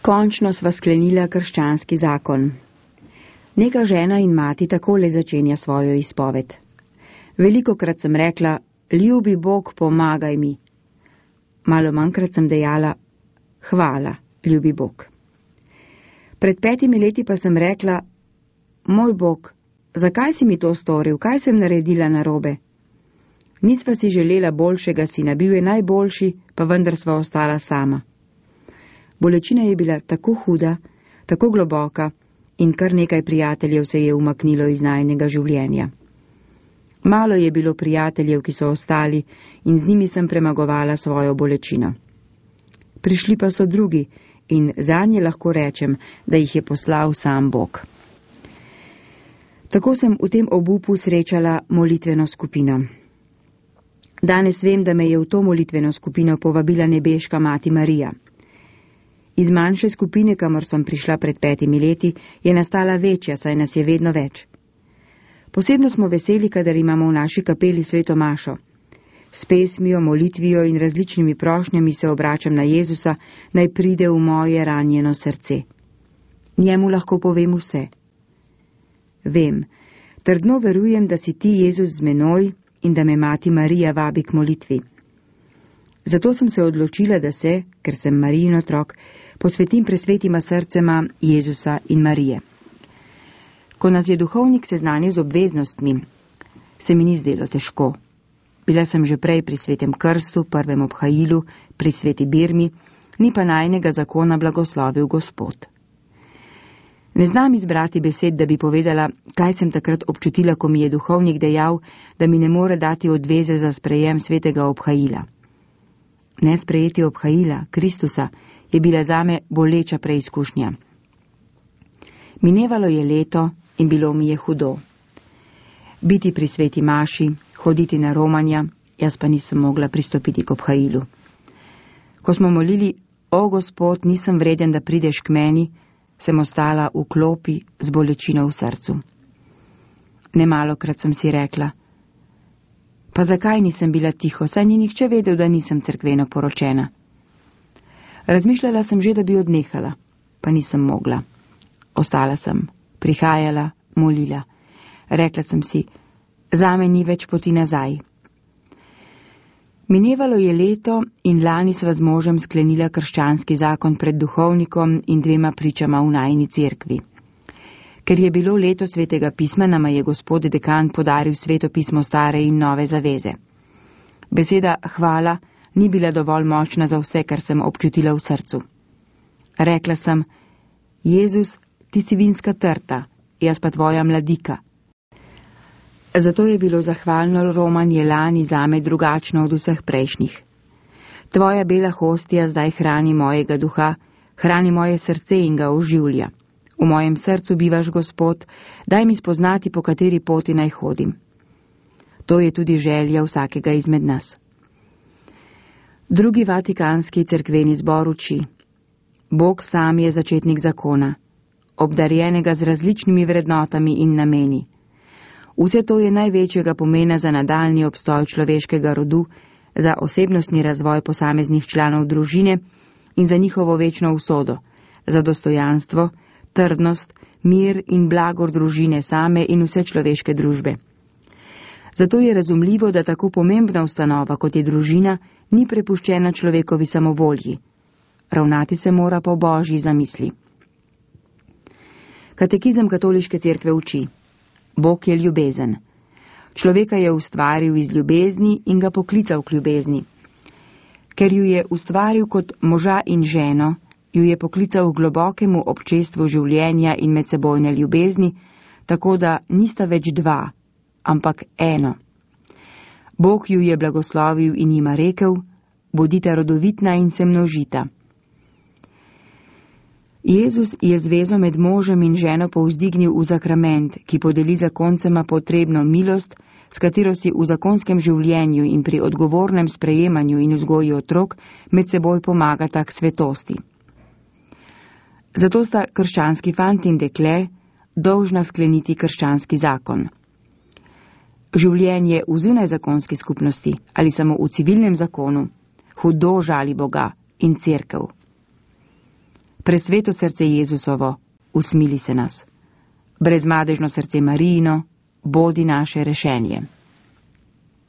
Končno sva sklenila krščanski zakon. Neka žena in mati takole začenja svojo izpoved. Velikokrat sem rekla, ljubi Bog, pomagaj mi. Malo manjkrat sem dejala, hvala, ljubi Bog. Pred 5 leti pa sem rekla, moj Bog, zakaj si mi to storil, kaj sem naredila narobe? Nisva si želela boljšega sina, bil je najboljši, pa vendar sva ostala sama. Bolečina je bila tako huda, tako globoka in kar nekaj prijateljev se je umaknilo iz najinega življenja. Malo je bilo prijateljev, ki so ostali in z njimi sem premagovala svojo bolečino. Prišli pa so drugi in zanje lahko rečem, da jih je poslal sam Bog. Tako sem v tem obupu srečala molitveno skupino. Danes vem, da me je v to molitveno skupino povabila nebeška mati Marija. Iz manjše skupine, kamor sem prišla pred 5 leti, je nastala večja, saj nas je vedno več. Posebno smo veseli, kadar imamo v naši kapeli sveto mašo. S pesmijo, molitvijo in različnimi prošnjami se obračam na Jezusa, naj pride v moje ranjeno srce. Njemu lahko povem vse. Vem, trdno verujem, da si ti, Jezus, z menoj in da me mati Marija vabi k molitvi. Zato sem se odločila, da se, ker sem Marijin otrok, posvetim presvetima srcema Jezusa in Marije. Ko nas je duhovnik seznanil z obveznostmi, se mi ni zdelo težko. Bila sem že prej pri svetem krstu, prvem obhajilu, pri sveti birmi, ni pa najinega zakona blagoslovil Gospod. Ne znam izbrati besed, da bi povedala, kaj sem takrat občutila, ko mi je duhovnik dejal, da mi ne more dati odveze za sprejem svetega obhajila. Nesprejeti obhajila, Kristusa, je bila zame boleča preizkušnja. Minevalo je leto in bilo mi je hudo. Biti pri sveti maši, hoditi na romanja, jaz pa nisem mogla pristopiti k obhajilu. Ko smo molili, o Gospod, nisem vreden, da prideš k meni, sem ostala v klopi z bolečino v srcu. Nemalokrat sem si rekla, pa zakaj nisem bila tiho, saj ni nihče vedel, da nisem cerkveno poročena. Razmišljala sem že, da bi odnehala, pa nisem mogla. Ostala sem, prihajala, molila. Rekla sem si, zame ni več poti nazaj. Minevalo je leto in lani sva z možem sklenila krščanski zakon pred duhovnikom in 2 pričama v najini cerkvi. Ker je bilo leto svetega pisma, nama je gospod dekan podaril sveto pismo stare in nove zaveze. Beseda hvala ni bila dovolj močna za vse, kar sem občutila v srcu. Rekla sem, Jezus, ti si vinska trta, jaz pa tvoja mladika. Zato je bilo zahvalno romanje lani zame drugačno od vseh prejšnjih. Tvoja bela hostija zdaj hrani mojega duha, hrani moje srce in ga oživlja. V mojem srcu bivaš, Gospod, daj mi spoznati, po kateri poti naj hodim. To je tudi želja vsakega izmed nas. Drugi vatikanski cerkveni zbor uči. Bog sam je začetnik zakona, obdarjenega z različnimi vrednotami in nameni. Vse to je največjega pomena za nadaljni obstoj človeškega rodu, za osebnostni razvoj posameznih članov družine in za njihovo večno usodo, za dostojanstvo, trdnost, mir in blagor družine same in vse človeške družbe. Zato je razumljivo, da tako pomembna ustanova, kot je družina, ni prepuščena človekovi samovolji. Ravnati se mora po Božji zamisli. Katekizem katoliške cerkve uči. Bog je ljubezen. Človeka je ustvaril iz ljubezni in ga poklical k ljubezni. Ker ju je ustvaril kot moža in ženo, ju je poklical k globokemu občestvu življenja in medsebojne ljubezni, tako da nista več 2, ampak 1. Bog ju je blagoslovil in jima rekel, bodita rodovitna in se množita. Jezus je zvezo med možem in ženo povzdignil v sakrament, ki podeli zakoncema potrebno milost, s katero si v zakonskem življenju in pri odgovornem sprejemanju in vzgoji otrok med seboj pomagata k svetosti. Zato sta krščanski fant in dekle dolžna skleniti krščanski zakon. Življenje v zunajzakonski skupnosti ali samo v civilnem zakonu hudo žali Boga in cerkev. Presveto srce Jezusovo, usmili se nas. Brezmadežno srce Marijino, bodi naše rešenje.